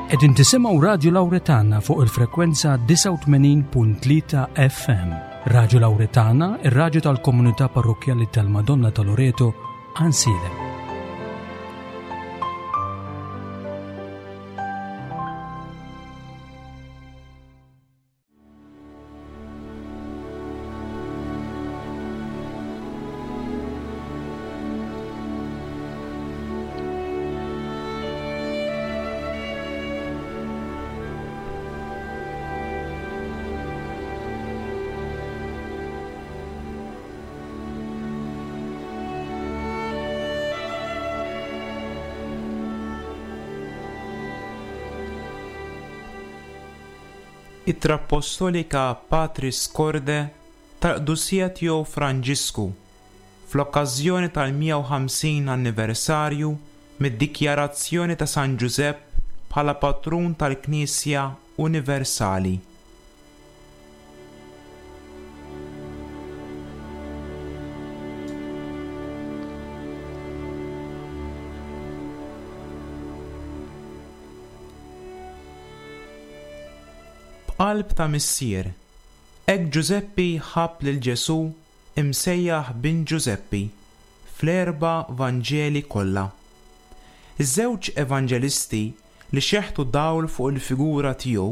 Qegħdin tisimgħu Radju Lawretana fuq il-frekwenza 89.3 FM. Radju Lawretana, ir-radju tal-komunità parrokkjali tal-Madonna ta' Loreto, Ansiedem. Ittra Appostolika Patris Corde tal-Qdusija Tiegħu Franġisku fl-okkażjoni tal-150 anniversarju mid-dikjarazzjoni ta' San Ġużepp bħala Patrun tal-Knisja Universali. B'qalb ta' missier, hekk Ġużeppi ħabb lil Ġesù imsejjaħ bin Ġużeppi fl-erba' Vanġeli kollha. Iż-żewġ evanġelisti li xeħtu dawl fuq il-figura tiegħu,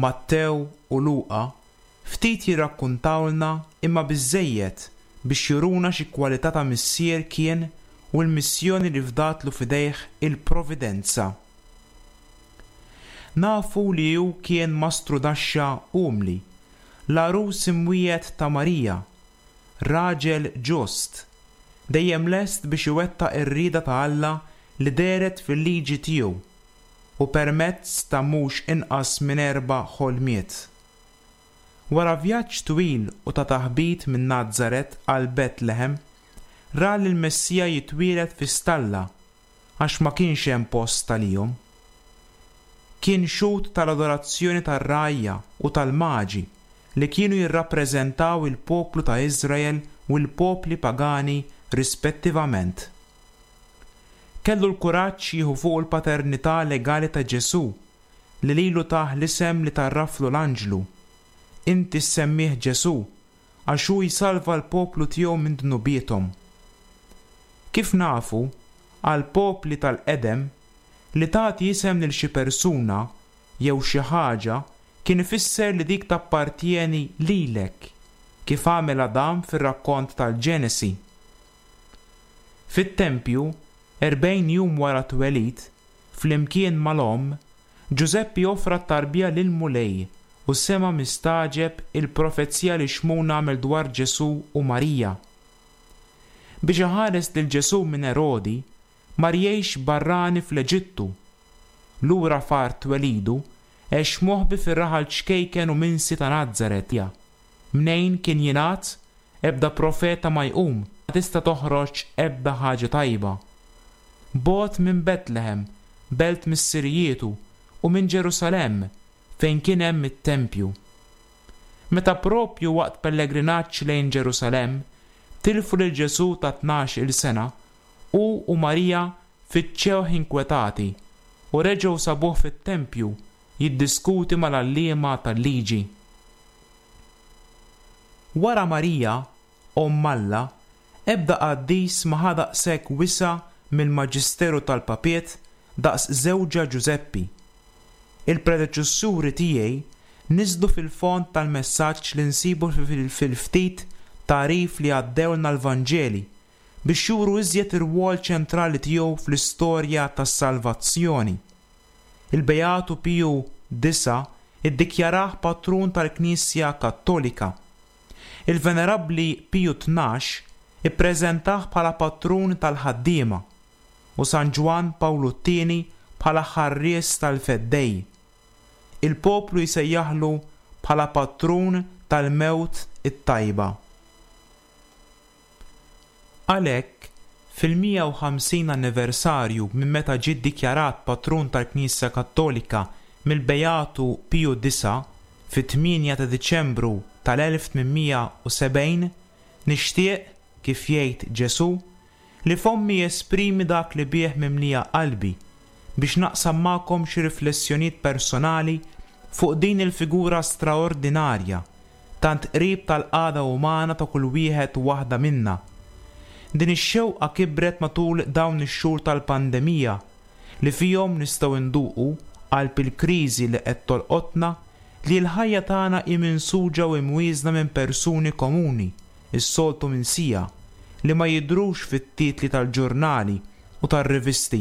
Mattew u Luqa, ftit jirrakkuntawlna imma biżżejjed biex juruna xi kwalità ta' missier kien u l-missjoni li fdatlu f'idejh il-Providenza. Nafu li hu kien mastrudaxxa umli, l-għarus imwiegħed ta' Marija, raġel ġust, dejjem lest biex iwettaq ir-rieda ta' Alla li dehret fil-liġi tiegħu u permezz ta' mhux inqas minn erba' ħolmiet. Wara vjaġġ twil u ta' taħbit minn Nazaret għal Betlehem, ra lill-Messija jitwieled fi stalla għax ma kienx hemm post għalihom. Kien xhud tal-adorazzjoni tar-rgħajja u tal-maġi li kienu jirrappreżentaw il-poplu ta' Iżrael u l-popli pagani rispettivament. Kellu l-kuraġġ jieħu fuqu l-paternità legali ta' Ġesù li lilu tah l-isem li tgħarraflu l-anġlu, Inti ssemmih Ġesù, għax hu jsalva l-poplu tiegħu minn dnubiethom. Kif nafu, għall-popli tal-qedem, li tagħti isem lil xi persuna jew xi ħaġa kien ifisser li dik tappartjeni lilek, kif għamel Adam fir-rakkont tal-Ġenesi. Fit-tempju, 40 jum wara t-twelid, flimkien mal-omm, Ġużeppi offra t-tarbija lill-Mulej u sema' mistagħġeb il-profezija li Xmun għamel dwar Ġesù u Marija. Biex iħares lil Ġesù minn Erodi, mar jgħix barrani fl-Eġittu. Lura f'art twelidu, għex moħbi fir-raħal ċkejken u minsi ta' Nazaret, mnejn kien jingħad, Ebda profeta ma jqum, ma tista' toħroġ ebda ħaġa tajba. Bogħod minn Betlehem, belt missirijietu, u minn Ġerusalemm, fejn kien hemm it-tempju. Meta proprju waqt pellegrinaġġ lejn Ġerusalemm, tilfu lil Ġesù ta' tnax-il sena, hu u Marija fittxewh inkwetati u reġgħu sabuh fit-tempju jiddiskuti mal-għalliema tal-liġi. Wara Marija, Omm Alla, ebda qaddis ma ħa daqshekk wisa' mill-maġisteru tal-papiet daqs żewġha Ġużeppi. Il-predeċessuri tiegħi niżlu fil-fond tal-messaġġ li nsibu fil-ftit tagħrif li għaddewlna l-Vanġeli biex juru iżjed ir-rwol ċentrali tiegħu fl-istorja tas-salvazzjoni. Il-Beatu Piju Disa' iddikjarah patrun tal-Knisja Kattolika. Il-Venerabbli Piju 12 ippreżentah bħala patrun tal-ħaddiema u San Ġwann Pawlu t-Tieni bħala ħarries tal-Feddej. Il-poplu jsejjaħlu bħala patrun tal-mewt it-tajba. Għalhekk, fil-150 anniversarju minn meta ġie ddikjarat patrun tal-Knisja Kattolika mill-Beatu Piju Disa' fit-tmienja ta' Diċembru tal-1870, nixtieq, kif jgħid Ġesù, li fommi jesprimi dak li bih mimlija qalbi. biex naqsam magħkom xi riflessjonijiet personali fuq din il-figura straordinarja, tant qrib tal-qagħda umana ta' kull wieħed u waħda minna. Din ix-xewqa kibret matul dawn ix-xhur tal-pandemija li fihom nistgħu nduqu, qalb il-kriżi li qed tolqotna, li l-ħajja tagħna hi minsuġa u imwieżna minn persuni komuni, is-soltu minsija, li ma jidhrux fit-titli tal-ġurnali u tar-rivisti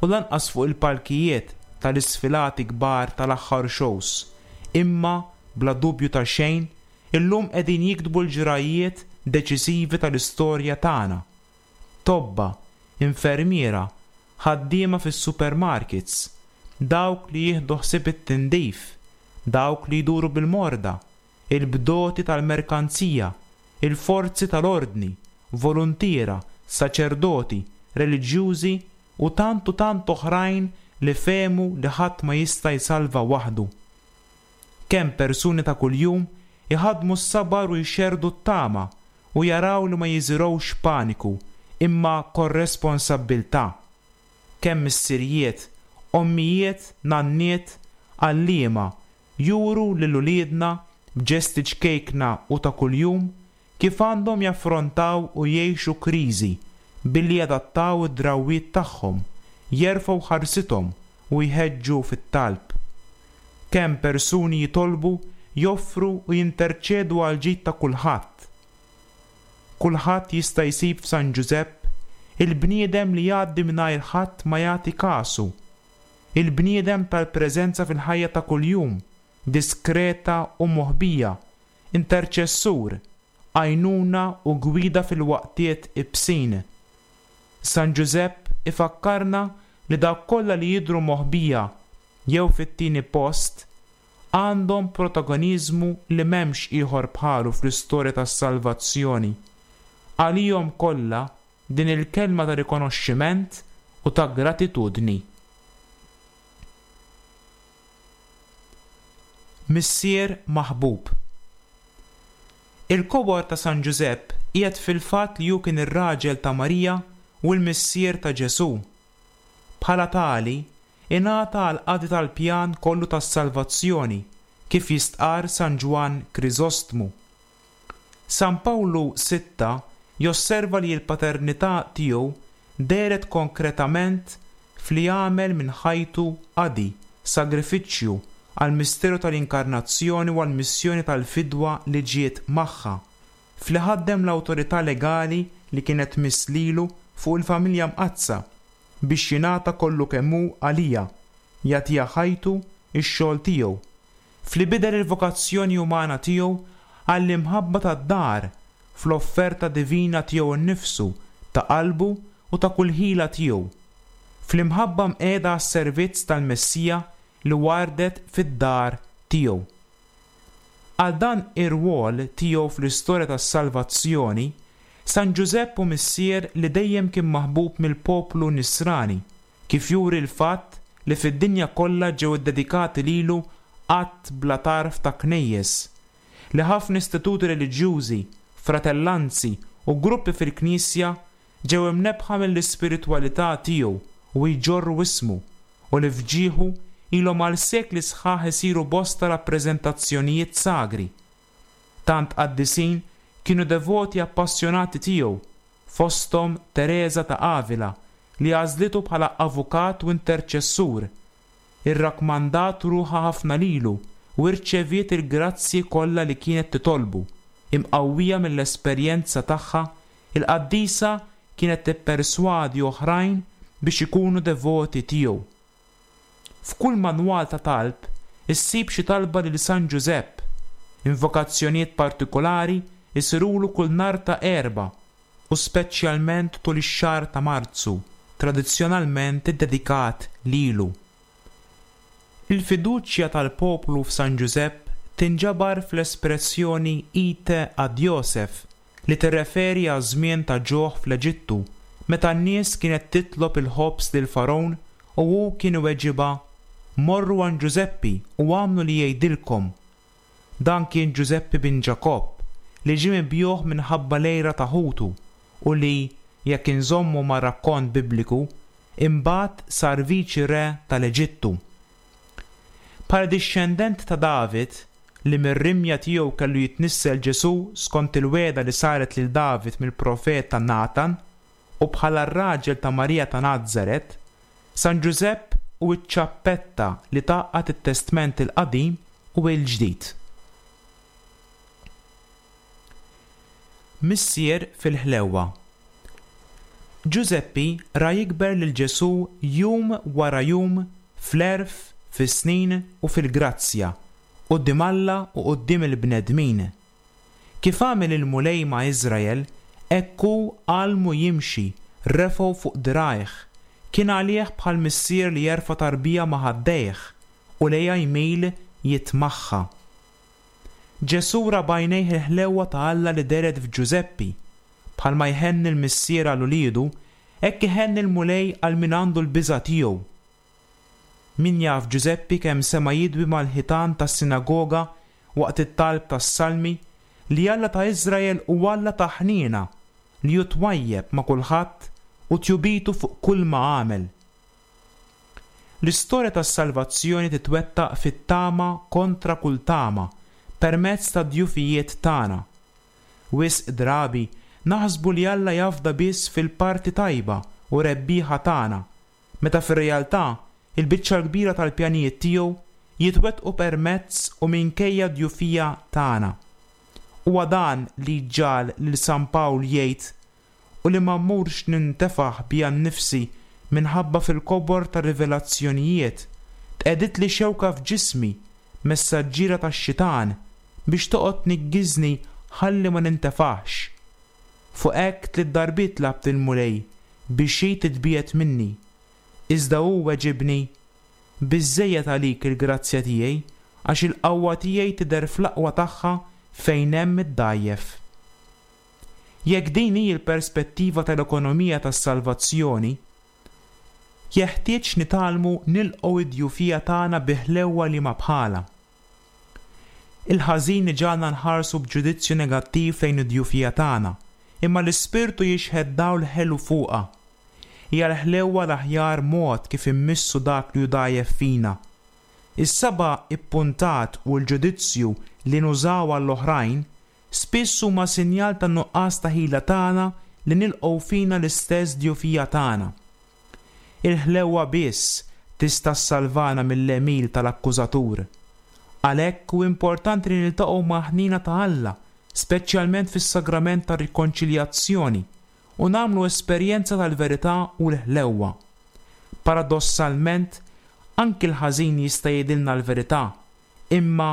u lanqas fuq il-palkijiet tal-isfilati kbar tal-aħħar shows, imma, bla dubju ta' xejn, illum qegħdin jiktbu l-ġrajjiet deċisivi tal-istorja tagħna. Tobba, infermiera, ħaddiema fis-supermarkets, dawk li jieħdu ħsieb it-tindif, dawk li jduru bil-morda, il-bdoti tal-merkanzija, il-forzi tal-ordni, voluntiera, saċerdoti, reliġjużi u tant u tant oħrajn li fehmu li ħadd ma jista' jsalva waħdu. Kemm persuni ta' kuljum iħaddmu s-sabar u jxerrdu t-tama u jaraw li ma jiżirgħux paniku imma korresponsabbiltà. Kemm missirijiet, ommijiet, nanniet, għalliema juru lil uliedna b'ġesti ċkejkna u ta' kuljum kif għandhom jaffrontaw u jgħixu kriżi billi jadattaw id-drawwiet tagħhom, jerfgħu ħarsithom u jħeġġu fit-talb. Kemm persuni jitolbu, joffru u jinterċedu għall-ġid ta' kulħadd. Kulħadd jista' jsib f'San Ġużepp il-bniedem li jgħaddi mingħajr ħadd ma jagħti kasu, il-bniedem tal-preżenza fil-ħajja ta' kuljum, diskreta u moħbija, interċessur, għajnuna u gwida fil-waqtiet ibsin. San Ġużepp ifakkarna li dawk kollha li jidhru moħbija jew fit-tieni post għandhom protagoniżmu li m'hemmx ieħor bħalu fl-istorja tas-salvazzjoni. Għalihom kollha din il-kelma ta' rikonoxximent u ta' gratitudni. Missier maħbub. Il-kobor ta' San Ġużepp qiegħed fil-fatt li hu kien ir-raġel ta' Marija u l-missier ta' Ġesù. Bħala tali, ingħata għall-qadi tal-pjan kollu tas-salvazzjoni, kif jistqarr San Ġwann Kriżostmu. San Pawlu Sitta josserva li l-paternità tiegħu dehret konkretament f'li għamel minn ħajtu qadi, sagrifiċċju, għall-misteru tal-Inkarnazzjoni u għall-missjoni tal-fidwa li ġiet magħha, f'li ħaddem l-awtorità legali li kienet tmiss lilu fuq il-familja mqaddsa biex jingħata kollu kemm hu għaliha, jagħtiha ħajtu, ix-xogħol tiegħu, f'li bidel il-vokazzjoni umana tiegħu għall-imħabba tad-dar, fl-offerta divina tiegħu nnifsu, ta' qalbu u ta' kull ħila tiegħu, fl-imħabba mqiegħda għas-servizz tal-Messija li wardet fid-dar tiegħu. Għal dan ir-rwol tiegħu fl-istorja tas-salvazzjoni, San Ġużepp hu missier li dejjem kien maħbub mill-poplu Nisrani, kif juri l-fatt li fid-dinja kollha ġew iddedikati lilu għadd bla tarf ta' knejjes, li ħafna istituti reliġjużi, fratellanzi u gruppi fil-Knisja ġew imnebbħa mill-ispiritwalità tiegħu u jġorru ismu, u li f'ġieħu ilhom għal sekli sħaħ isiru bosta rappreżentazzjonijiet sagri. Tant qaddisin kienu devoti appassjonati tiegħu, fosthom Tereża ta' Avila li għażlitu bħala avukat u interċessur, irrakkmandat ruħha ħafna lilu u rċeviet il-grazzji kollha li kienet titolbu, imqawwija mill-esperjenza tagħha Il-qaddisa kienet tipperswadi oħrajn biex ikunu devoti tiegħu. F'kull manwal ta' talb issib xi talba lil San Ġużepp. Invokazzjonijiet partikulari jsirulu kull nhar ta' Erbgħa u speċjalment tul ix-xahar ta' Marzu, tradizzjonalment iddedikat lilu. Il-fiduċja tal-poplu f'San Ġużepp tinġabar fl-espressjoni Ite ad Josef li tirreferi għaż-żmien ta' ġuħ fl-Eġittu meta n-nies kienet titlob il-ħobż lill-Fargħun u hu kien iweġibha, Morru għand Ġużeppi u agħmlu li jgħidilkom. Dan kien Ġużeppi bin Ġakobb, li ġie mibjugħ minħabba l-għira ta' ħutu u li, jekk inżommu mar-rakkont Bibliku, Imbagħad sar viċi re tal-Eġittu. Bħala dixxendent ta' David, li mir-rimja tiegħu kellu jitnissel Ġesù skont il-wegħda li saret lil David mill-profeta Natan, u bħala r-raġel ta' Marija ta' Nazaret, San Ġużepp hu ċ-ċappetta li tgħaqqad it-Testment il-Qadim u l-Ġdid. Missier fil-ħlewwa. Ġużeppi ra jikber lil Ġesù jum wara jum fl-għerf, fis-snin u fil-grazzja, quddiem Alla u quddiem il-bnedmin. Kif għamel il-Mulej ma' Iżrael, hekk hu għallmu jimxi, refgħu fuq dirgħajh, kien għalih bħal missier li jerfa' tarbija ma' ħaddejh u lejha jmil jitmagħha. Ġesù ra b'għajnejh il-ħlewwa ta' Alla li dehret f'Ġużeppi. Bħalma jħenn il-missier għal uliedu, hekk iħenn il-Mulej għal min għandu l-biża' tiegħu. Min jaf Ġużeppi kemm sema' jidwi mal-ħitan tas-sinagoga waqt it-talb tas-Salmi li Alla ta' Iżrael hu Alla ta' ħniena, li hu twajjeb ma' kulħadd u tjubitu fuq kulma għamel. L-istorja tas-salvazzjoni titwettaq fit-tama kontra kull tama, permezz tad-djufijiet tagħna. Wisq drabi naħsbu li Alla jafda biss fil-parti tajba u rebbieħa tagħna, meta fir-realtà il-biċċa l-kbira tal-pjanijiet tiegħu jitwettqu permezz u minkejja d-djufija tagħna. Huwa dan li jġagħal lil San Pawl jgħid u li ma mmurx nintefaħ bija nnifsi minħabba fil-kobor tar-rivelazzjonijiet, tqegħditli xewka f'ġismi, messaġġiera tax-xitan, biex toqgħod tniggiżni ħalli ma nintefaħx. Fuq hekk tliet darbiet tlabt lill-Mulej biex hi titbiegħed minni. Iżda hu weġibni, Biżżejjed għalik il-grazzja tiegħi, għax il-qawwa tiegħi tidher fl-aqwa tagħha fejn hemm id-dgħajjef. Jekk din hi l-perspettiva tal-ekonomija tas-salvazzjoni, jeħtieġ nitgħallmu nilqgħu d-djufija tagħna bi ħlewwa liema bħalha. Il-ħażin iġagħalna nħarsu b'ġudizzju negattiv lejn id-djufija tagħna, imma l-Ispirtu jixħet dawl ħelu fuqha. Hija l-ħlewwa l-aħjar mod kif immissu dak li hu dgħajjef fina. Is-saba' ippuntat u l-ġudizzju li nużaw għall-oħrajn spiss huma sinjal tan-nuqqas ta' ħila tagħna li nilqgħu fina l-istess djufija tagħna. Il-ħlewwa biss tista' ssalvana mill-għemil tal-akkużatur. Għalhekk hu importanti li niltaqgħu mal-ħniena ta' Alla, speċjalment fis-sagrament tar-rikonċiljazzjoni, u nagħmlu esperjenza tal-verità u l-ħlewwa. Paradossalment, anki l-ħażin jista' jgħidilna l-verità, Imma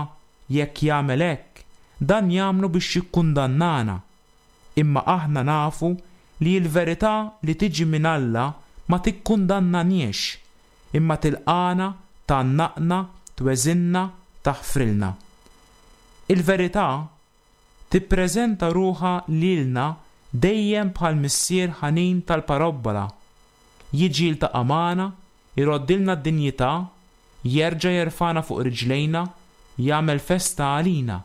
jekk jagħmel hekk, dan jagħmlu biex jikkundannana. Imma aħna nafu li l-verità li tiġi minn Alla ma tikkundannaniex, imma tilqagħna, tgħannaqna, tweżinna, taħfrilna. Il-verità tippreżenta ruħha lilna dejjem bħall-missier ħanin tal-parabbola. Jiġi jiltaqa' magħna, iroddilna d-dinjità, jerġa' jerfagħna fuq riġlejna, jagħmel festa għalina,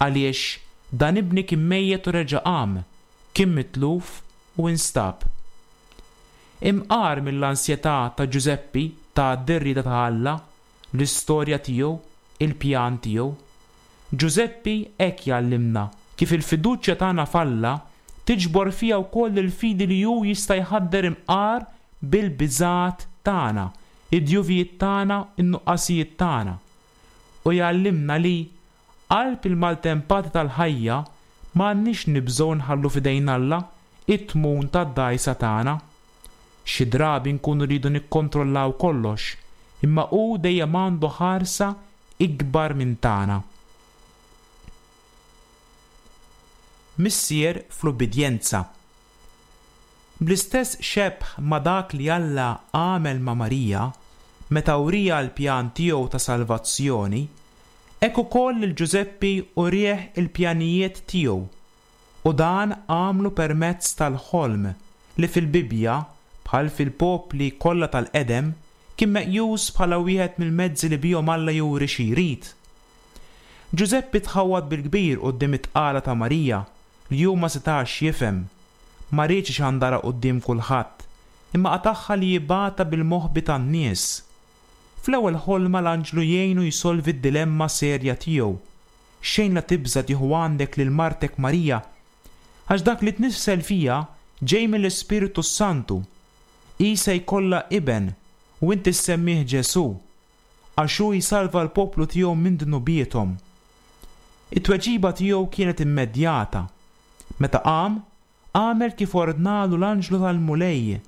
għaliex dan ibni kien mejjet u reġa' qam, kien mitluf u instab. Imqar mill-ansjetà ta' Ġużeppi tgħaddi r-rieda ta' Alla, l-istorja tiegħu, il-pjan tiegħu. Ġużeppi hekk jgħallimna kif il-fiduċja tagħna f'Alla tiġbor fiha wkoll il-fidi li hu jista' jħadder imqar bil-biżgħat tagħna, id-djuvijiet tagħna, in-nuqqasijiet tagħna. U jgħallimna li, qalb il-maltempati tal-ħajja, ma għandniex nibżgħu nħallu f'idejn Alla it-tmun tad-dgħajsa tagħna. Xi drabi nkunu rridu nikkontrollaw kollox, imma hu dejjem għandu ħarsa ikbar minn tagħna. Missier fl-ubbidjenza. Bl-istess xebh ma' dak li Alla għamel ma' Marija meta wrieha l-pjan tiegħu ta' salvazzjoni, hekk ukoll lil Ġużeppi urieh il-pjanijiet tiegħu, u dan għamlu permezz tal-ħolm li fil-Bibbja, bħal fil-popli kollha tal-qedem, kien meqjus bħala wieħed mill-mezzi li bihom Alla juri xi jrid. Ġużeppi tħawwad bil-kbir quddiem it-tqala ta' Marija li hu ma setax jifhem. Ma riedx ixandarha quddiem kulħadd. imma qatagħha li jibgħatha bil-moħbi tan-nies. Fl-ewwel ħolma l-anġlu jgħinu jsolvi d-dilemma serja tiegħu, Xejn la tibża' tieħu għandek lil martek Marija, għax dak li tnissel fiha ġej mill-Ispirtu s-Santu. Hi se jkollha iben, u inti ssemmih Ġesù, għax hu jsalva l-poplu tiegħu minn dnubiethom. It-tweġiba tiegħu kienet immedjata. Meta qam, għamel kif ordnalu l-anġlu tal-Mulej.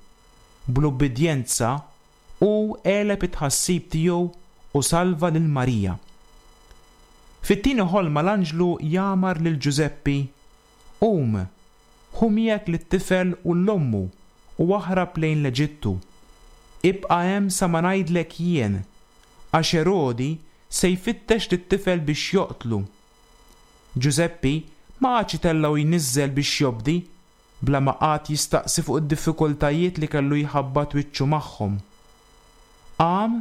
Bl-ubbidjenza, hu għeleb it-tħassib tiegħu u salva lil Marija. Fit-tieni ħolma l-anġlu jamar lil Ġużeppi, Qum, ħu miegħek lit-tifel u 'l ommu u aħrab lejn l-Eġittu. Ibqa' hemm sa ma ngħidlek jien, għax Erodi se jfittex lit-tifel biex joqtlu. Ġużeppi ma qagħadx itella' u jniżżel biex jobdi, bla ma qagħad jistaqsi fuq id-diffikultajiet li kellu jħabbat wiċċu magħhom. Qam,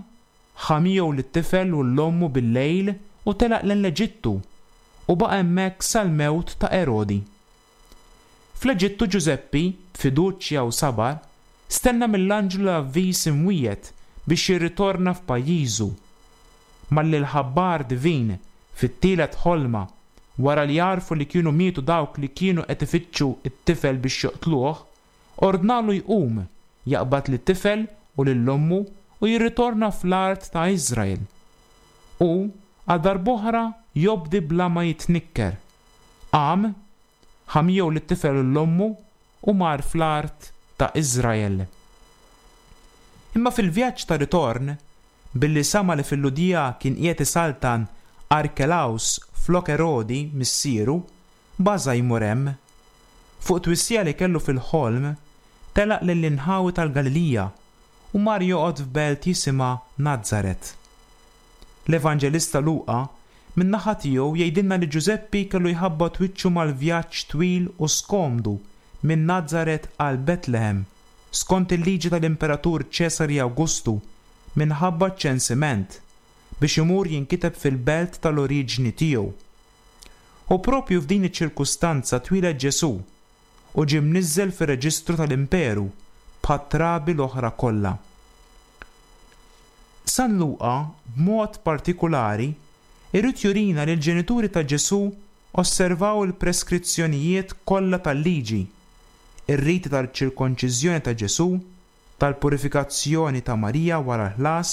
ħa miegħu lit-tifel u 'l ommu bil-lejl u telaq lejn l-Eġittu, u baqa' hemmhekk sal-mewt ta' Erodi. Fl-Eġittu Ġużeppi, b'fiduċja u sabar, stenna mill-anġlu l-avviż imwiegħed biex jirritorna f'pajjiżu. Malli l-ħabbar divin, fit-tielet ħolma, wara li għarfu li kienu mietu dawk li kienu qed ifittxu t-tifel biex joqtluh, ordnalu jqum, jaqbad lit-tifel u lil ommu u jirritorna fl-art ta' Iżrael. U, għal darb'oħra, jobdi bla ma jitnikker. Qam, ħa miegħu lit-tifel u 'l ommu u mar fl-art ta' Iżrael. Imma fil-vjaġġ ta' ritorn, billi sama' li fil-Lhudija kien qiegħed isaltan Arkelaws flok Erodi, missieru, baża' jmur hemm. Fuq twissija li kellu fil-ħolm, telaq lejn l-inħawi tal-Galilija u mar joqgħod f'belt jisimha Nazaret. L-Evanġelista Luqa, min-naħa tiegħu, jgħidilna li Ġużeppi kellu jħabbat wiċċu mal-vjaġġ twil u skomdu minn Nazaret għal Betlehem, skont il-liġi tal-Imperatur Ċesari Awgustu, minħabba ċ-ċensiment, biex imur jinkiteb fil-belt tal-oriġni tiegħu. U proprju f'din iċ-ċirkustanza twieled Ġesù, u ġie mniżżel fir-reġistru tal-imperu bħat-trabi l-oħra kollha. San Luqa, b'mod partikulari, irid jurina li l-ġenituri ta' Ġesù osservaw il-preskrizzjonijiet kollha tal-Liġi, ir-riti tal-ċirkonċiżjoni ta' Ġesù, tal-purifikazzjoni ta' Marija wara l-ħlas,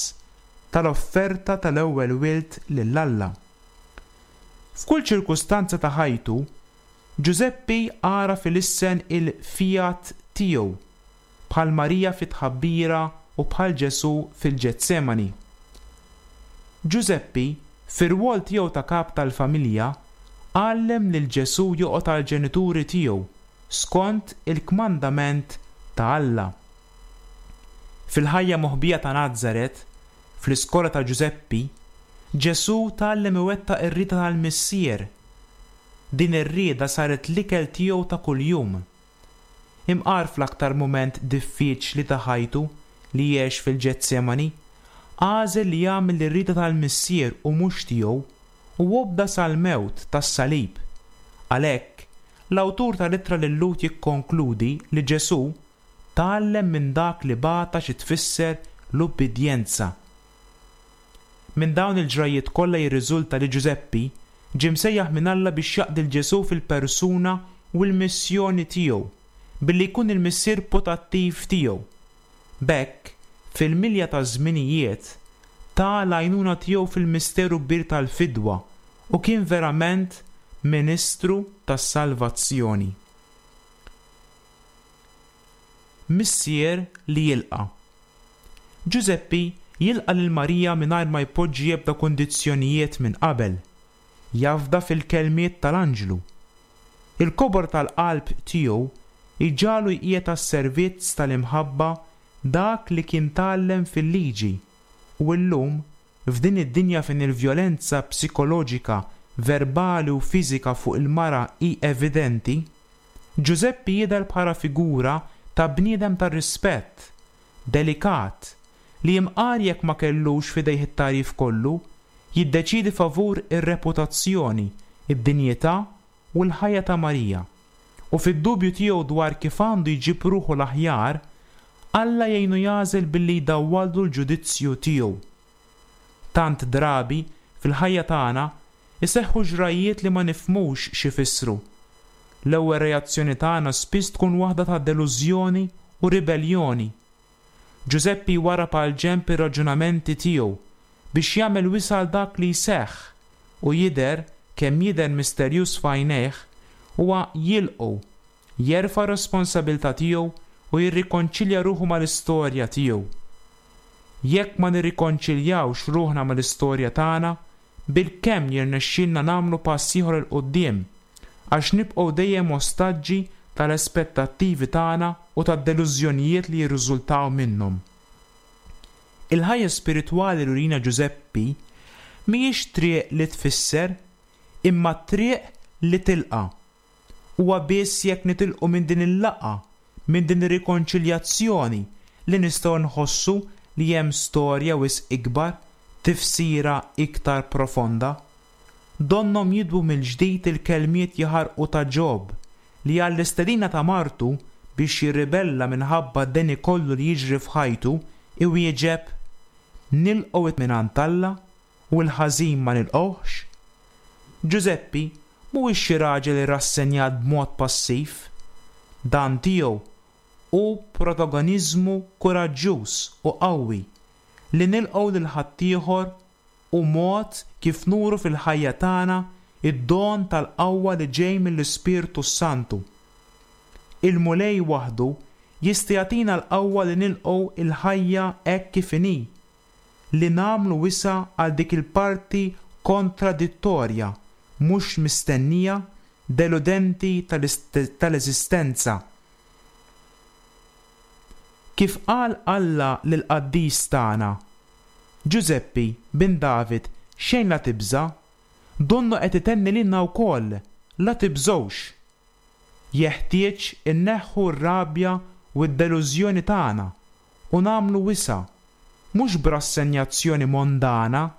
tal-offerta tal-ewwel wild lil Alla. F'kull ċirkustanza ta' ħajtu, Ġużeppi għaraf ilissen il-fiat tiegħu, bħal Marija fit-tħabbira u bħal Ġesù fil-Ġetsemani. Ġużeppi, fir-rwol tiegħu ta' kap tal-familja, għallem lil Ġesù joqgħod għall-ġenituri tiegħu skont il-kmandament ta' Alla. Fil-ħajja moħbija ta' Nazaret, fl-iskola ta' Ġużeppi, Ġesù tgħallem iwettaq ir-rieda tal-Missier. Din ir-rieda saret l-ikel tiegħu ta' kuljum. Imqar fl-aktar mument diffiċli ta' ħajtu li għex fil-Ġetsemani, għażel li jagħmel ir-rieda tal-Missier u mhux tiegħu, u obda sal-mewt tas-salib. Għalhekk, l-awtur tal-Ittra lil-Lhud jikkonkludi li Ġesù tgħallem minn dak li bata xi tfisser l-ubbidjenza. Minn dawn il-ġrajjiet kollha jirriżulta li Ġużeppi ġie msejjaħ minn Alla biex jaqdi 'l Ġesù fil-persuna u l-missjoni tiegħu, billi jkun il-missier putattiv tiegħu. B'hekk, fil-milja taż-żminijiet, ta l-għajnuna tiegħu fil-misteru kbir tal-fidwa u kien verament ministru tas-salvazzjoni. Missier li jilqa'. Ġużeppi jilqa' lil Marija mingħajr ma jpoġġi ebda kundizzjonijiet minn qabel. Jafda fil-kelmiet tal-anġlu. Il-kobor tal-qalb tiegħu jġagħlu jqiegħed għas-servizz tal-imħabba dak li kien tgħallem fil-liġi u llum, f'din id-dinja fejn il-vjolenza psikoloġika, verbali u fiżika fuq il-mara hi evidenti, Ġużeppi jidher bħala figura ta' bniedem ta' rispett, delikat, li imqar jekk ma kellux f'idejh it-tagħrif kollu, jiddeċiedi favur ir-reputazzjoni, id-dinjità u l-ħajja ta' Marija, u fid-dubju tiegħu dwar kif għandu jġib ruħu l-aħjar, Alla jgħinu jagħżel billi jdawwallu l-ġudizzju tiegħu. Tant drabi, fil-ħajja tagħna, iseħħu ġrajjiet li ma nifhmux x'ifissru. L-ewwel reazzjoni tagħna spiss tkun waħda ta' delużjoni u ribelljoni. Ġużeppi jwarrab għall-ġenb ir-raġunamenti tiegħu biex jagħmel wisa' għal dak li jseħħ u jidher kemm jidher misterjuż f'għajnejh, huwa jilqgħu, jerfa' r-responsabilità tiegħu u jirrikonċilja ruħu mal-istorja tiegħu. Jekk ma nirrikonċiljawx ruħna mal-istorja tagħna, bilkemm jirnexxielna nagħmlu pass ieħor 'il quddiem, għax nibqgħu dejjem ostaġġi tal-aspettattivi tagħna u tad-delużjonijiet li jirriżultaw minnhom. Il-ħajja spiritwali li wrina Ġużeppi mhijiex triq li tfisser, imma triq li tilqa'. Huwa biss jekk nitilqu minn din il-laqgħa, minn din ir-rikonċiljazzjoni li nistgħu nħossu li hemm storja wisq ikbar, tifsira iktar profonda. Donnhom jidwu mill-ġdid il-kelmiet jaħarqu ta' Ġob, li għall-istedina ta' martu biex jirribella minħabba d-deni kollu li jiġri f'ħajtu, iwieġeb, Nilqgħu mingħand Alla u l-ħażin ma nilqgħuhx? Ġużeppi mhuwiex xi raġel irrassenjat b'mod passiv. Dan tiegħu hu protagoniżmu kuraġġjuż u qawwi, li nilqgħu lil ħaddieħor hu mod kif nuru fil-ħajja tagħna d-don tal-qawwa li ġej mill-Ispirtu s-Santu. Il-Mulej waħdu jista' jagħtina l-qawwa li nilqgħu l-ħajja hekk kif inhi, li nagħmlu wisa' għal dik il-parti kontradittorja, mhux mistennija, deludenti tal-eżistenza. Kif qal Alla lill-qaddis tagħna, Ġużeppi, bin David, xejn la tibża', donnu qed itenni lilna wkoll, la tibżgħux. Jeħtieġ inneħħu r-rabja u d-delużjoni tagħna u nagħmlu wisa', mhux b'rassenjazzjoni mondana,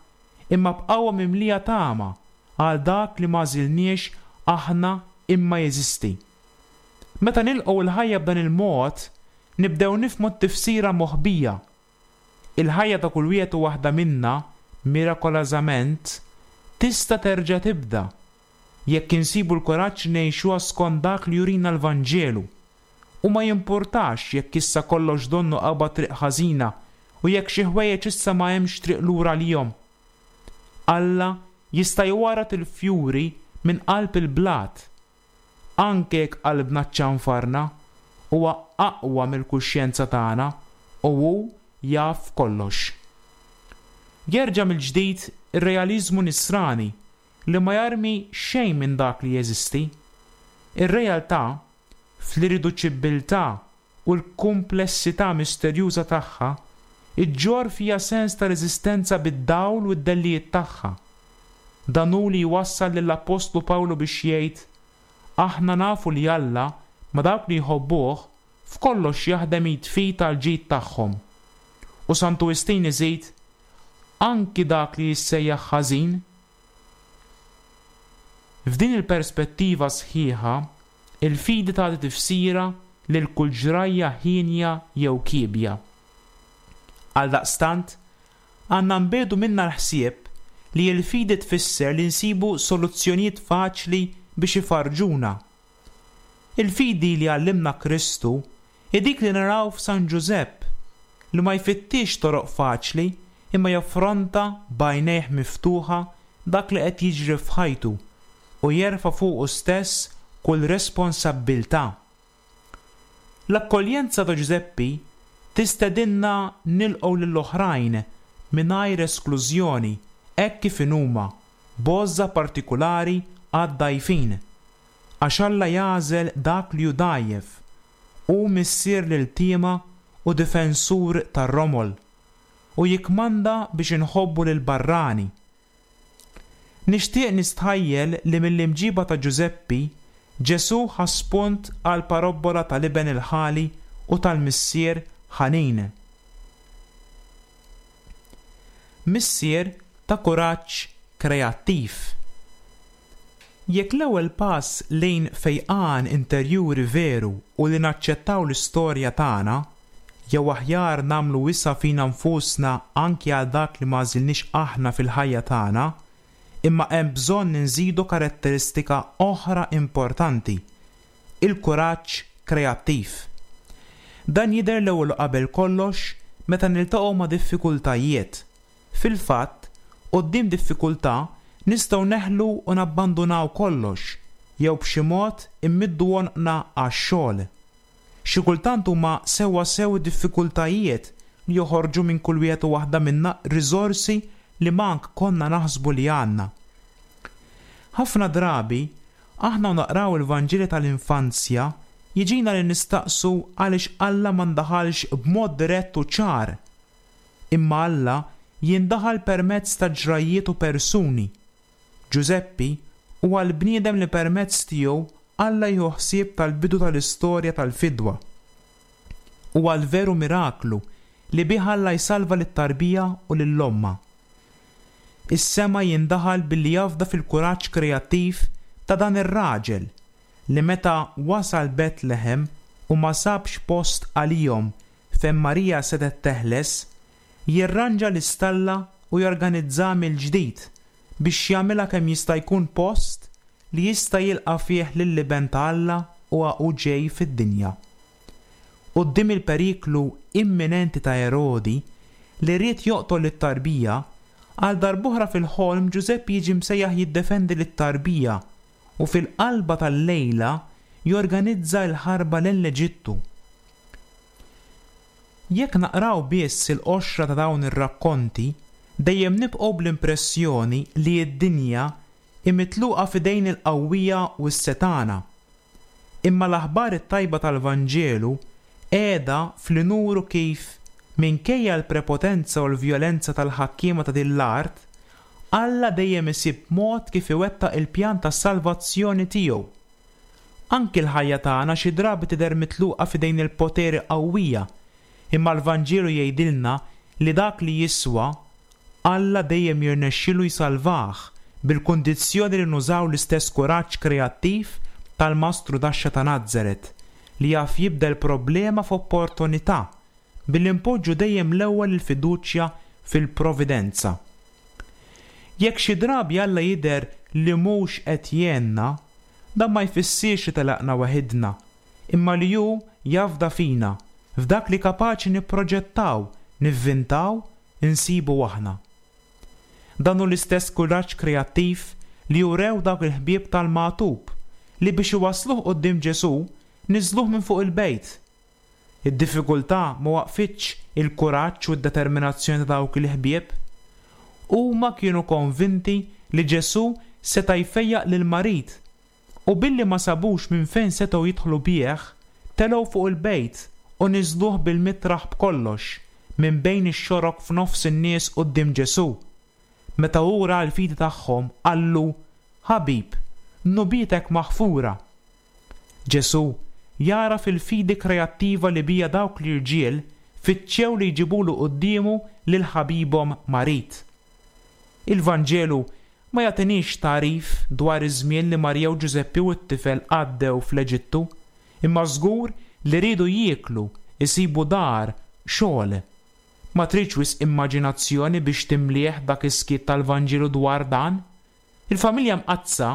imma b'qawwa mimlija tama għal dak li m'għażilniex aħna imma jeżisti. Meta nilqgħu l-ħajja b'dan il-mod, nibdew nifhmu t-tifsira moħbija. Il-ħajja ta' kull wieħed u waħda minna, mirakolażament, tista' terġa' tibda, jekk insibu l-kuraġġ li ngħixuha skont dak li jurina l-Vanġelu. U ma jimpurtax jekk issa kollox donnu qabad triq ħażina u jekk xi ħwejjeġ issa ma hemmx triq lura għalihom. Alla jista' jwarrad il-fjuri minn qalb il-blat. Anke jekk qalbna ċċanfarna, huwa aqwa mill-kuxjenza tagħna u hu jaf kollox. Jerġa' mill-ġdid ir-realiżmu nisrani li ma jarmi xejn minn dak li jeżisti. Ir-realtà, fl-irriduċibbiltà u l-kumplessità misterjuża tagħha, iġġorr fiha sens ta' reżistenza bid-dawl u d-dellijiet tagħha. Dan hu li jwassal lill-Appostlu Pawlu biex jgħid, Aħna nafu li Alla, ma' dawk li jħobbuh, f'kollox jaħdem id f'id għall-ġid tagħhom. U Santu Wistin iżid, Anki dak li jissejjaħ ħażin. F'din il-perspettiva sħiħa, il-fidi tagħti tifsira lil kull ġrajja hienja jew kiebja. Għaldaqstant, għandna nbiegħdu minna l-ħsieb li l-fidi tfisser li nsibu soluzzjonijiet faċli biex ifarrġuna. Il-fidi li għallimna Kristu hi dik li naraw f'San Ġużepp, li ma jfittixx toroq faċli imma jaffronta b'għajnejh miftuħa dak li qed jiġri f'ħajtu u jerfa' fuqu stess kull responsabbiltà. L-akkoljenza ta' Ġużeppi tistedinna nilqgħu lill-oħrajn mingħajr esklużjoni hekk kif inhuma, b'għożża partikulari għad-dgħajfin. Għax Alla jagħżel dak li hu dgħajjef. Hu missier l-iltiema u difensur tar-romol. U jikkmanda biex inħobbu lill-barrani. Nixtieq nistħajjel li mill-imġiba ta' Ġużeppi, Ġesù ħa spunt għall-parobbola tal-iben il-ħali u tal-missier ħanin. Missier ta' kuraġġ kreattiv. Jekk l-ewwel pass lejn fejqan interjuri veru hu li naċċettaw l-istorja tagħna, Jew aħjar nagħmlu wisa' fina nfusna anki għal dak li m'għażilniex aħna fil-ħajja tagħna, imma hemm bżonn inżidu karatteristika oħra importanti, il-kuraġġ kreattiv. Dan jidher l-ewwel u qabel kollox meta niltaqgħu ma' diffikultajiet. Fil-fatt, quddiem diffikultà nistgħu neħlu u nabbandunaw kollox, jew b'xi mod immiddu għonqna għax-xogħol. Xi kultant huma sewwasew id-diffikultajiet li joħorġu minn kull wieħed u waħda minna riżorsi li mank konna naħsbu li għandna. Ħafna drabi, aħna u naqraw il-Vanġeli tal-infanzja, jiġina li nistaqsu għaliex Alla ma ndaħalx b'mod dirett u ċar. Imma Alla jindaħal permezz ta' ġrajjiet u persuni. Ġużeppi huwa l-bniedem li permezz tiegħu Alla jieħu ħsieb tal-bidu tal-istorja tal-fidwa. Huwa l-veru miraklu li bih Alla jsalva lit-tarbija u lil ommha. Is-sema jindaħal billi jafda fil-kuraġġ kreattiv ta' dan ir-raġel li meta wasal Betlehem u ma sabx post għalihom fejn Marija setgħet teħles, jirranġa l-istalla u jorganizzaha mill-ġdid biex jagħmilha kemm jista' jkun post li jista' jilqa' fih lill-Iben ta' Alla huwa u ġej fid-dinja. Quddiem il-periklu imminenti ta' Erodi li ried joqtol lit-tarbija, għal darb'oħra fil-ħolm Ġużeppi jiġi msejjaħ jiddefendi lit-tarbija u fil-qalba tal-lejla jorganizza l-ħarba lejn l-Eġittu. Jekk naqraw biss il-qoxra ta' dawn ir-rakkonti, dejjem nibqgħu bl-impressjoni li d-dinja hi mitluqa f'idejn il-qawwija u s-setgħana. Imma l-aħbar it-tajba tal-Vanġelu qiegħda f'li nuru kif, minkejja l-prepotenza u l-vjolenza tal-ħakkiema ta' din l-art, Alla dejjem isib mod kif iwettaq il-pjan tas-salvazzjoni tiegħu. Anki l-ħajja tagħna xi drabi tidher mitluqa f'idejn il-poteri qawwija, imma l-Vanġelu jgħidilna li dak li jiswa, Alla dejjem jirnexxilu jsalvah, bil-kundizzjoni li nużaw l-istess kuraġġ kreattiv tal-mastrudaxxa ta' Nazaret, li jaf jibdel problema f'opportunità, billi npoġġu dejjem l-ewwel il-fiduċja fil-Providenza. Jekk xi drabi Alla jidher li mhux qed jgħinna, dan ma jfissirx li telaqna weħidna, imma li hu jafda fina, f'dak li kapaċi nipproġettaw, nivvintaw, insibu aħna. Dan hu l-istess kuraġġ kreattiv li urew dawk il-ħbieb tal-magħtub li biex iwassluh quddiem Ġesù niżżluh minn fuq il-bejt. Id-diffikultà ma waqqfitx il-kuraġġ u d-determinazzjoni ta' dawk il-ħbieb. Huma kienu konvinti li Ġesù seta' jfejjaq lill-marid, u billi ma sabux minn fejn setgħu jidħlu bih, telgħu fuq il-bejt u niżżluh bil-mitraħ b'kollox, minn bejn ix-xorok f'nofs in-nies quddiem Ġesù. Meta hu ra l-fidi tagħhom, qallu, Ħabib, dnubietek maħfura. Ġesù jagħraf il-fidi kreattiva li biha dawk l-irġiel fittxew li jġibulu quddiemu lil ħabibhom marid. Il-Vanġelu ma jagħtiniex tagħrif dwar iż-żmien li Marija u Ġużeppi u t-tifel għaddew fl-Eġittu, imma żgur li riedu jieklu, isibu dar, xogħol. Ma tridx wisq immaġinazzjoni biex timlieh dak is-skiet tal-Vanġelu dwar dan. Il-familja mqaddsa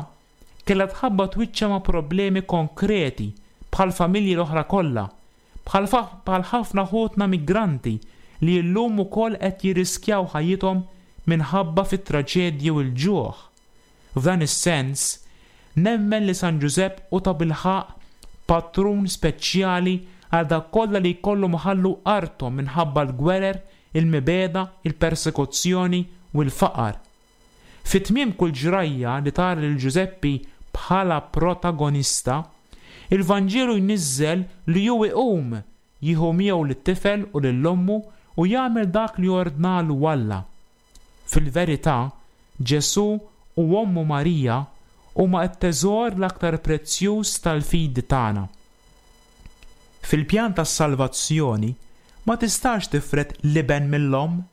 kellha tħabbat wiċċha ma' problemi konkreti bħall-familji l-oħra kollha, bħal bħal ħafna ħutna migranti li llum ukoll qed jirriskjaw ħajjithom minħabba fit-traġedji u l-ġuħ. F'dan is-sens, nemmen li San Ġużepp hu tabilħaqq patrun speċjali għal dawk kollha li jkollhom iħallu arthom minħabba l-gwerer, il-mibegħda, il-persekuzzjoni u l-faqar. Fi tmiem kull ġrajja li tara lil Ġużeppi bħala protagonista, il-Vanġelu jniżżel li hu iqum, jieħu miegħu lit-tifel u lil ommu u jagħmel dak li ordnalu Alla. Fil-verità, Ġesù u ommu Marija huma t-teżor l-aktar prezzjuż tal-fidi tagħna. Fil-pjan tas-salvazzjoni ma tistax tifred l-Iben mill-Omm,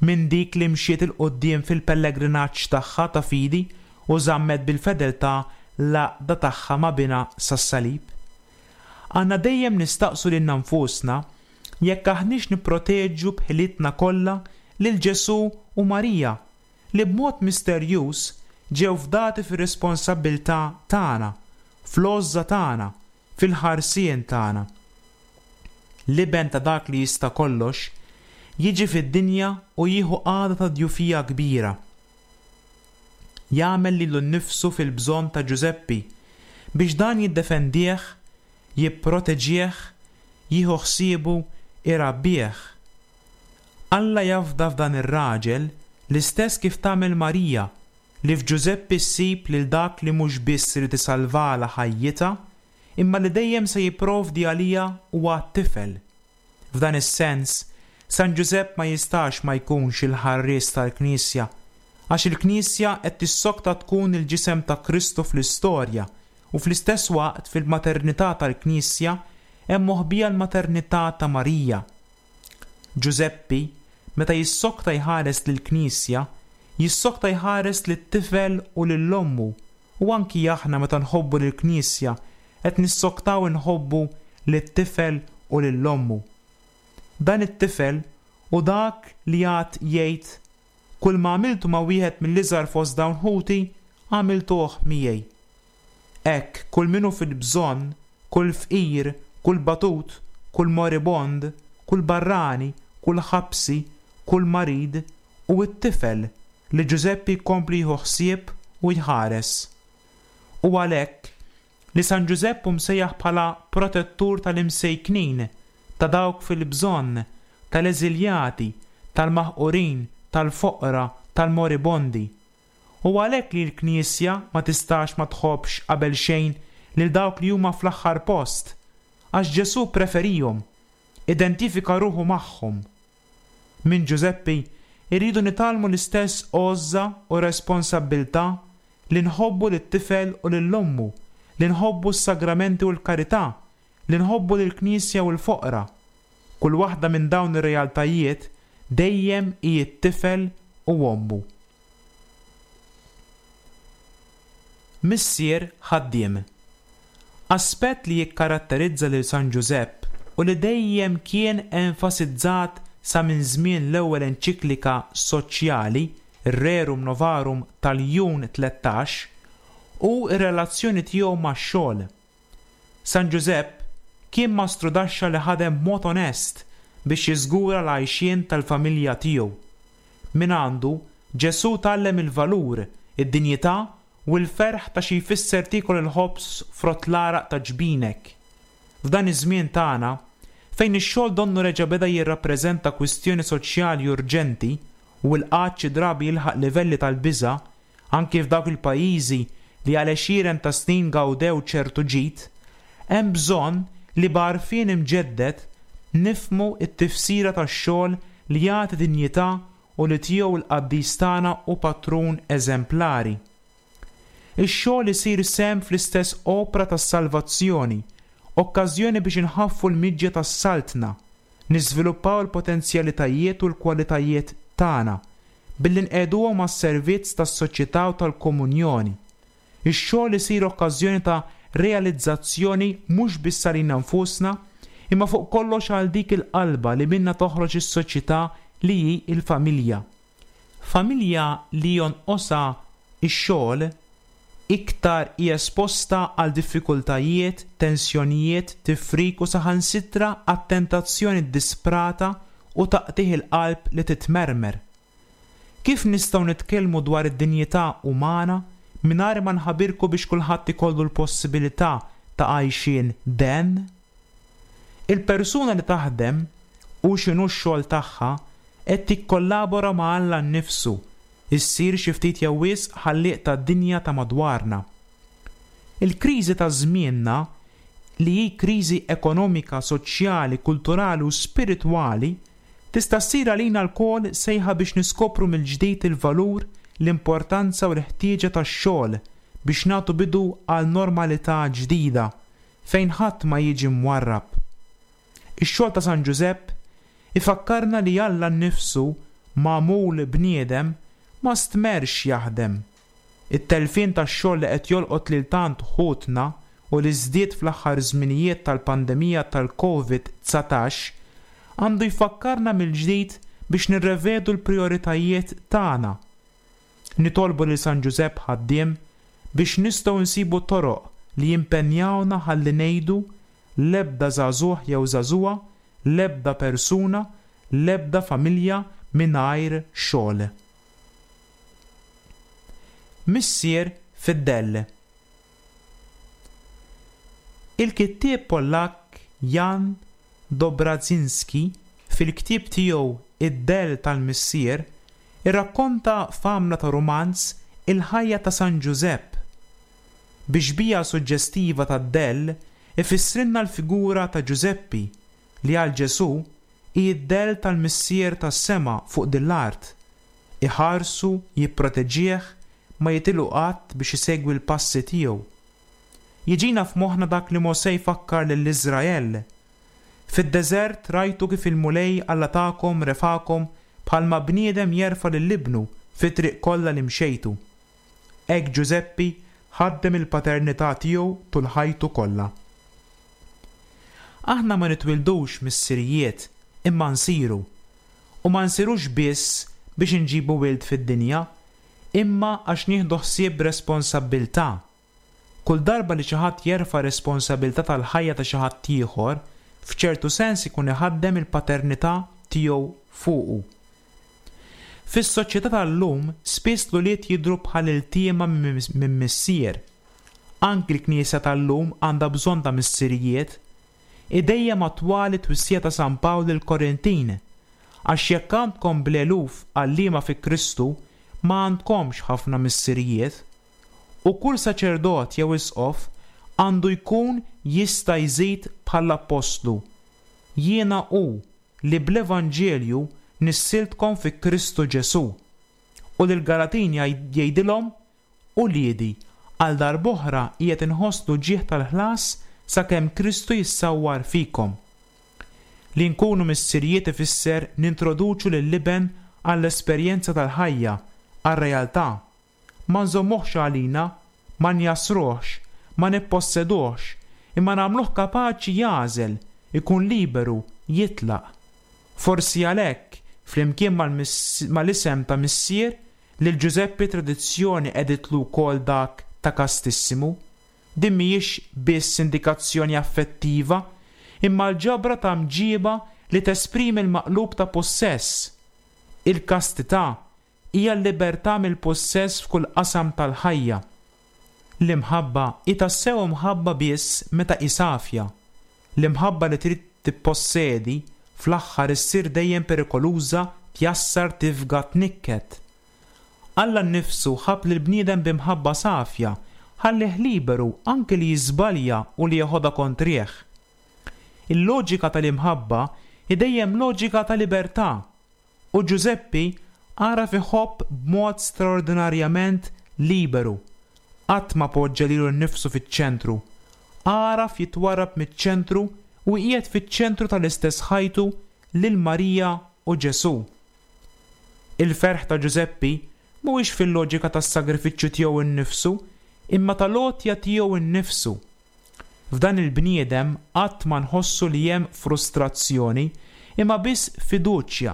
minn dik li mxiet 'il quddiem fil-pellegrinaġġ tagħha ta' fidi u żammet bil-fedeltà l-għaqda tagħha ma' Binha sas-salib. Għandna dejjem nistaqsu lilna nfusna jekk aħniex nipproteġu b'ħilitna kollha lil Ġesù u Marija li b'mod misterjuż ġew fdati fir-responsabbiltà tagħna, fl-għożża tagħna, fil-ħarsien tagħna. L-Iben ta' Dak li Jista' Kollox jiġi fid-dinja u jieħu qagħda ta' djufija kbira. Jagħmel lilu nnifsu fil-bżonn ta' Ġużeppi biex dan jiddefendih, jipproteġih, jieħu ħsiebu, irabbih. Alla jafda f'dan ir-raġel l-istess kif tagħmel Marija li f'Ġużeppi ssib lil dak li mhux biss irid isalvalha ħajjitha imma li dejjem se jipprovdi għaliha u għat-tifel. F'dan is-sens, San Ġużepp ma jistax ma jkunx il-ħarries tal-Knisja, għax il-Knisja qed tissokta tkun il-ġisem ta' Kristu fl-istorja u fl-istess waqt fil-maternità tal-Knisja hemm moħbija l-maternità ta' Marija. Ġużeppi, meta jissokta jħares lill-Knisja, jissokta jħares lit-tifel u lil ommu u anki aħna meta nħobbu lill-Knisja qed nissoktaw inħobbu lit-tifel u lil ommu. Dan it-tifel hu dak li għad jgħid, Kull ma għamiltu ma' wieħed mill-iżgħar fost dawn ħuti, għamiltuh miegħi. Hekk kull min hu fil-bżonn, kull fqir, kull batut, kull moribond, kull barrani, kull ħabsi, kull marid, hu t-tifel li Ġużeppi jkompli jieħu ħsieb u jħares. Hu għalhekk li San Ġużepp hu msejjaħ bħala protettur tal-imsejknin, ta' dawk fil-bżonn, tal-eżiljati, tal-maħqurin, tal-foqra, tal-moribondi. Hu għalhekk li l-Knisja ma tistax ma tħobbx qabelxejn lil dawk li huma fl-aħħar post, għax Ġesù ppreferihom, identifika ruħu magħhom. Minn Ġużeppi rridu nitgħallmu l-istess għożża u responsabbiltà li nħobbu lit-tifel u lil ommu, li nħobbu s-sagramenti u l-karità, li nħobbu lill-Knisja u l-foqra. Kull waħda minn dawn ir-realtajiet dejjem hi t-tifel u ommu. Missier ħaddiem. Aspett li jikkaratterizza lil San Ġużepp u li dejjem kien enfasizzat sa minn żmien l-ewwel enċiklika soċjali, Rerum Novarum tal-Jun 13, hu r-relazzjoni tiegħu max-xogħol. San Ġużepp kien mastrudaxxa li ħadem b'mod onest biex jiżgura l-għajxien tal-familja tiegħu. Mingħandu, Ġesù tgħallem il-valur, id-dinjità u l-ferħ ta' xi jfisser tiekol il-ħobż frott l-għaraq ta' ġbinek. F'dan iż-żmien tagħna, fejn ix-xogħol donnu reġa' beda jirrappreżenta kwistjoni soċjali urġenti u l-qgħad xi drabi jilħaq livelli tal-biża' anki f'dawk il-pajjiżi li għal għexieren ta' snin gawdew ċertu ġid, hemm bżonn li b'għarfien imġedded nifhmu t-tifsira tax-xogħol li jagħti dinjità u li tiegħu l-qaddis tagħna hu patrun eżemplari. Ix-xogħol isir sehem fl-istess opra tas-salvazzjoni, okkażjoni biex inħaffu l-miġja tas-Saltna, niżviluppaw il-potenzjalitajiet u l-kwalitajiet tagħna, billi nqiegħduhom għas-servizz tas-soċjetà u tal-komunjoni. Ix-xogħol isir okkażjoni ta' realizzazzjoni mhux biss għalina nfusna, imma fuq kollox għal dik il-qalba li minnha toħroġ is-soċjetà li hi l-familja. Familja li jonqosha x-xogħol iktar hi esposta għal diffikultajiet, tensjonijiet, tifrik u saħansitra għat-tentazzjoni ddisprata u ta' qtigħ il-qalb li titmermer. Kif nistgħu nitkellmu dwar id-dinjità umana mingħajr ma nħabirku biex kulħadd ikollu l-possibilità ta' għajxien den? Il-persuna li taħdem, hu x'inhu x-xogħol tagħha, qed tikkollabora ma' Alla nnifsu, issir xi ftit jew wisq ħallieq tad-dinja ta' madwarna. Il-kriżi ta' żmienna, li hi kriżi ekonomika, soċjali, kulturali u spiritwali, tista' ssir għalina lkoll sejħa biex niskopru mill-ġdid il-valur, l-importanza u l-ħtieġa tax-xogħol biex nagħtu bidu għal normalità ġdida, fejn ħadd ma jiġi mwarrab. Ix-xogħol ta' San Ġużepp ifakkarna li Alla nnifsu, magħmul bniedem, ma stmerrx jaħdem. It-telfien tax-xogħol li qed jolqot lil tant ħutna u li żdied fl-aħħar żminijiet tal-pandemija tal-Covid 19, għandu jfakkarna mill-ġdid biex nirrevedu l-prijoritajiet tagħna. Nitolbu lil San Ġużepp ħaddiem biex nistgħu nsibu toroq li jimpenjawna ħalli ngħidu, l-ebda żagħżugħ jew żagħżugħa, l-ebda persuna, l-ebda familja mingħajr xogħol. Missier fid-dell. Il-kittieb Pollakk Jan Dobrazinski fil-ktieb tiegħu Id-Dell tal-Missier irrakkonta f'għamla ta' rumanz il-ħajja ta' San Ġużepp. Bi xbieha suġġestiva tad-dell ifissrilna l-figura ta' Ġużeppi li għal Ġesù hi d-dell tal-Missier tas-sema fuq din l-art. Iħarsu, jipproteġih, ma jitilqu qatt biex isegwi l-passi tiegħu. Jiġina f'moħħna dak li Mosè jfakkar lil Iżrael, Fid-deżert rajtu kif il-Mulej Alla tagħkom refagħkom bħalma bniedem jerfa' lil ibnu fit-triq kollha li mxejtu. Hekk Ġużeppi ħaddem il-paternità tiegħu tul ħajtu kollha. Aħna ma nitwildux missirijiet imma nsiru. U ma nsirux biss biex inġibu wild fid-dinja, imma għax nieħdu ħsieb b'responsabbiltà. Kull darba li xi ħadd jerfa' responsabilità tal-ħajja ta' xi ħadd ieħor, f'ċertu sens ikun iħaddem il-paternità tiegħu fuqu. Fis-soċjetà tal-lum spiss l-ulied jidhru bħal iltiema minn missier. Anki l-Knisja tal-lum għandha bżonn ta' missirijiet. Hi dejjem attwali t-twissija ta' San Pawl lill-Korintin, Għax jekk għandkom bl-eluf għalliema fi Kristu, ma għandkomx ħafna missirijiet. U kull saċerdot jew isqof għandu jkun jista' jżid bħall-appostlu, Jiena hu li bl-evanġelju nissiltkom fi Kristu Ġesù. U lill-Galatin jgħidilhom, Uliedi, għal darb'oħra qiegħed inħoss l-uġigħ tal-ħlas sakemm Kristu jissawwar fikom. Li nkunu missirijiet ifisser nintroduċu lill-iben għall-esperjenza tal-ħajja, għar-realtà. Ma nżommuhx għalina, ma njassruhx, ma nipposseduhx, imma nagħmluh kapaċi jagħżel, ikun liberu, jitlaq. Forsi għalhekk, flimkien mal-isem ta' missier, lil Ġużeppi t-tradizzjoni qegħditlu wkoll dak ta' Kastissimu. Din mhijiex biss indikazzjoni affettiva, imma l-ġabra ta' mġiba li tesprimi l-maqlub ta' pussess. Il-kastità hija l-libertà mill-pussess f'kull qasam tal-ħajja. L-imħabba hi tassew imħabba biss meta hi safja. L-imħabba li trid tippossedi, fl-aħħar issir dejjem perikoluża, tjassar, tifga, tnikket. Alla nnifsu ħabb lill-bniedem bi mħabba safja, ħallieh liberu anki li jiżbalja u li jeħodha kontrih. Il-loġika tal-imħabba hi dejjem loġika ta' libertà. U Ġużeppi għaraf iħobb b'mod straordinarjament liberu. Qatt ma poġġa lilu nnifsu fiċ-ċentru. Għaraf jitwarrab miċ-ċentru u jqiegħed fiċ-ċentru tal-istess ħajtu lil Marija u Ġesù. Il-ferħ ta' Ġużeppi mhuwiex fil-loġika tas-sagrifiċċju tiegħu nnifsu imma tal-għotja tiegħu nnifsu. F'dan il-bniedem qatt ma nħossu li hemm frustrazzjoni, imma biss fiduċja.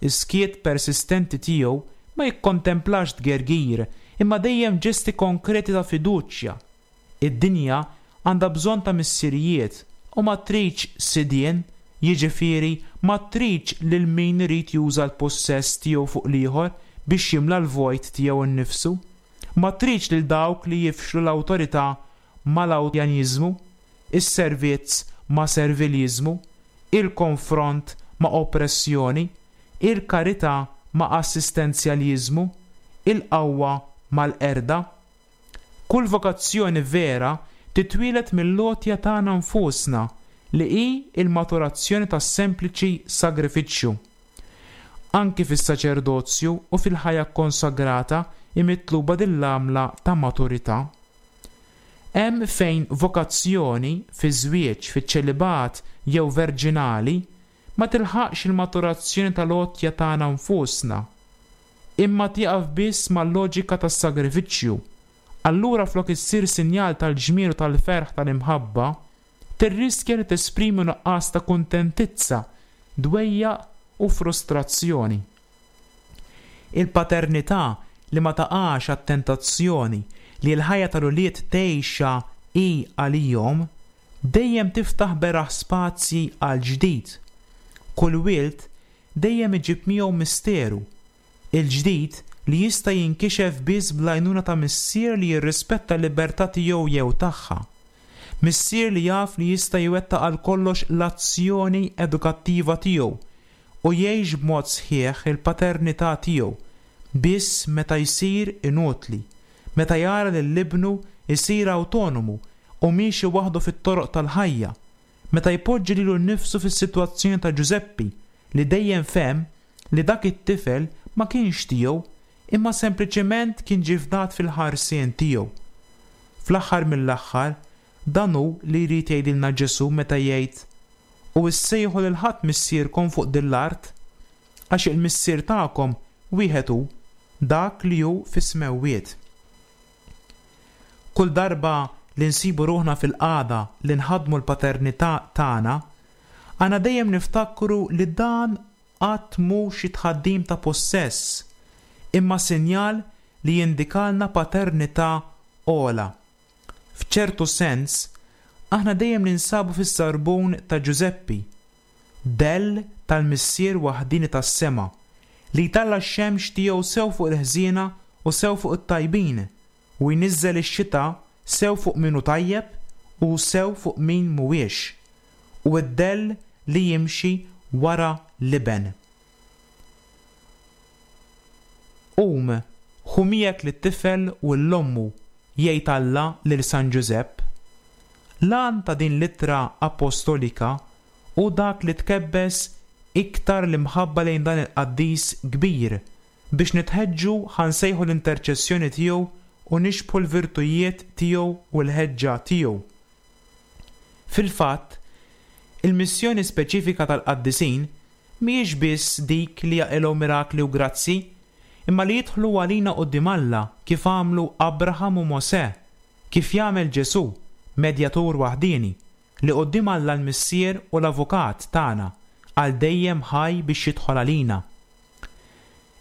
Is-skiet persistenti tiegħu ma jikkontemplax tgergir, imma dejjem ġesti konkreti ta' fiduċja. Id-dinja għandha bżonn ta' missirijiet u ma tridx sidien, jiġifieri ma tridx lil min irid juża l-pussess tiegħu fuq l-ieħor biex jimla l-vojt tiegħu nnifsu. Ma tridx lil dawk li jifxlu l-awtorità mal-awtjaniżmu, is-servizz ma' serviliżmu, il-konfront ma' oppressjoni, il-karità ma' assistenzjaliżmu, il-qawwa mal-qerda. Kull vokazzjoni vera titwieled mill-għotja tagħna nfusna li hi l-maturazzjoni tas-sempliċi sagrifiċċju. Anki fis-saċerdozju u fil-ħajja kkonsagrata hi mitluba din l-għamla ta' maturità. Hemm fejn vokazzjoni, fiż-żwieġ, fiċ-ċelibat jew verġinali, ma tilħaqx il-maturazzjoni tal-għotja tagħna nfusna, imma tieqaf biss mal-loġika tas-sagrifiċċju, allura flok issir sinjal tal-ġmiel u tal-ferħ tal-imħabba, tirriskja li tesprimi nuqqas ta' kuntentizza. dwejjaq u frustrazzjoni. Il-paternità li ma taqax għat-tentazzjoni li l-ħajja tal-ulied tgħixha hi għalihom, dejjem tiftaħ beraħ spazji għall-ġdid. Kull wild dejjem iġib miegħu misteru, il-ġdid li jista' jinkixef biss bl-għajnuna ta' missier li jirrispetta l-libertà tiegħu jew tagħha. Missier li jaf li jista' jwettaq għal kollox l-azzjoni edukattiva tiegħu u jgħix b'mod sħiħ il-paternità tiegħu biss meta jsir inutli, meta jara lil ibnu jsir awtonomu u miexi waħdu fit-toroq tal-ħajja, meta jpoġġi lilu nnifsu fis-sitwazzjoni ta' Ġużeppi li dejjem fehem li dak it-tifel ma kienx tiegħu imma sempliċement kien ġie fdat fil-ħarsien tiegħu. Fl-aħħar mill-aħħar, dan hu li jrid jgħidilna Ġesù meta jgħid, U issejħu lil ħadd missierkom fuq din l-art, għax il-Missier tagħkom wieħed hu, dak li hu fis-smewwiet. Kull darba li nsibu ruħna fil-qagħda li nħaddmu l-paternità tagħna, għandna dejjem niftakru li dan qatt mhu xi tħaddim ta' pussess, imma sinjal li jindikalna paternità ogħla. F'ċertu sens, aħna dejjem ninsabu fis-sarbun ta' Ġużeppi, dell tal-Missier waħdieni tas-sema, li jtalla' x-xemx tiegħu sew fuq il-ħżiena u sew fuq it-tajbin, u jniżżel ix-xita sew fuq min hu tajjeb u sew fuq min mhuwiex, u d-dell li jimxi wara l-Iben. Qum, ħu miegħek lit-tifel u 'l ommu, jgħid Alla lil San Ġużepp. L-għan ta' din l-ittra appostolika hu dak li tkebbes iktar l-imħabba lejn dan il-qaddis kbir biex nitħeġġu ħa nsejħu l-interċessjoni tiegħu u nixbħu l-virtujiet tiegħu u l-ħeġġa tiegħu. Fil-fatt, il-missjoni speċifika tal-qaddisin mhijiex biss dik li jaqilgħu mirakli u grazzji, imma li jidħlu għalina quddiem Alla kif għamlu Abraham u Mosè, kif jagħmel Ġesù, medjatur waħdieni, li quddiem Alla l-Missier u l-Avukat tagħna, għal dejjem ħaj biex jidħol għalina.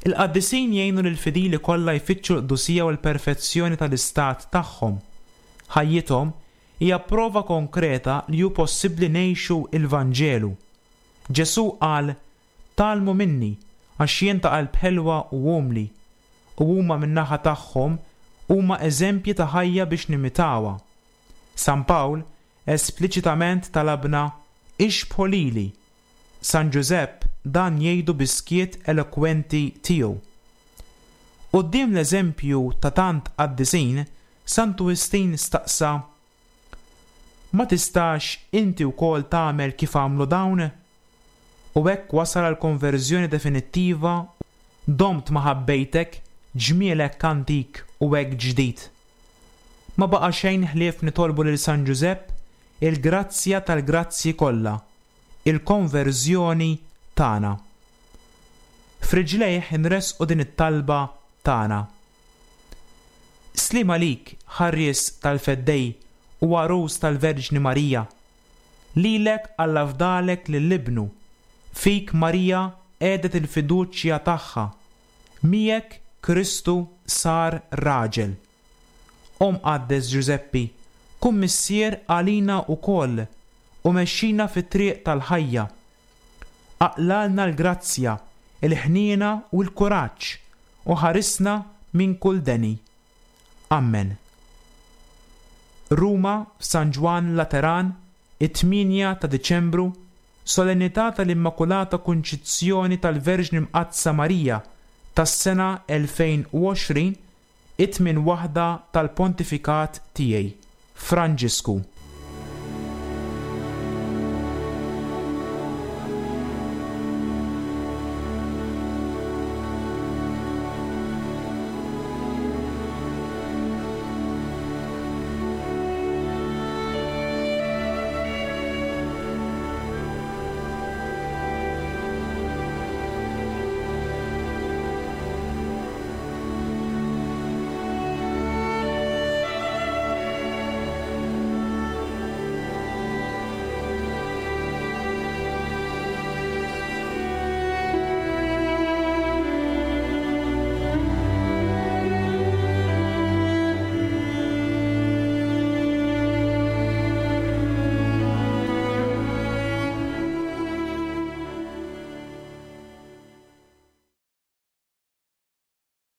Il-qaddisin jgħinu lill-fidili kollha jfittxu l-qdusija u l-perfezzjoni tal-istat tagħhom. Ħajjithom hija prova konkreta li hu possibbli ngħixu l-Vanġelu. Ġesù qal, Tgħallmu minni, għax jien ta' qalb ħelwa u umli. U huma min-naħa tagħhom huma eżempji ta' ħajja biex nimitawha. San Pawl espliċitament talabna, Ixbħu lili. San Ġużepp dan jgħidu bis-skiet elokwenti tiegħu. Quddiem l-eżempju ta' tant qaddisin, Santu Wistin staqsa, Ma tistax inti wkoll tagħmel kif għamlu dawn? U hekk wasal għall-konverżjoni definittiva Domt ma ħabbejtek, ġmiel hekk antik u hekk ġdid. Ma baqa' xejn ħlief nitolbu lil San Ġużepp il-grazzja tal-grazzji kollha, il-konverżjoni tagħna. F'riġlejh inressqu din it-talba tagħna. Sliem għalik, ħarries tal-Feddej u għarus tal-Verġni Marija. Lilek Alla fdalek lil Ibnu, fik Marija qiegħdet il-fiduċja tagħha, miegħek Kristu sar raġel. O Mqaddes Ġużeppi, kun missier għalina wkoll u mexxina fit-triq tal-ħajja. Aqlgħalna l-grazzja, il-ħniena u l-kuraġġ u ħarisna minn kull deni. Ammen. Ruma, f'San Ġwann Lateran, it-tmienja ta' Diċembru, Solennità tal-Immakulata Kunċizzjoni tal-Verġni Mqaddsa Marija tas-sena 2020, it-tmien waħda tal-pontifikat tiegħi. Franġisku.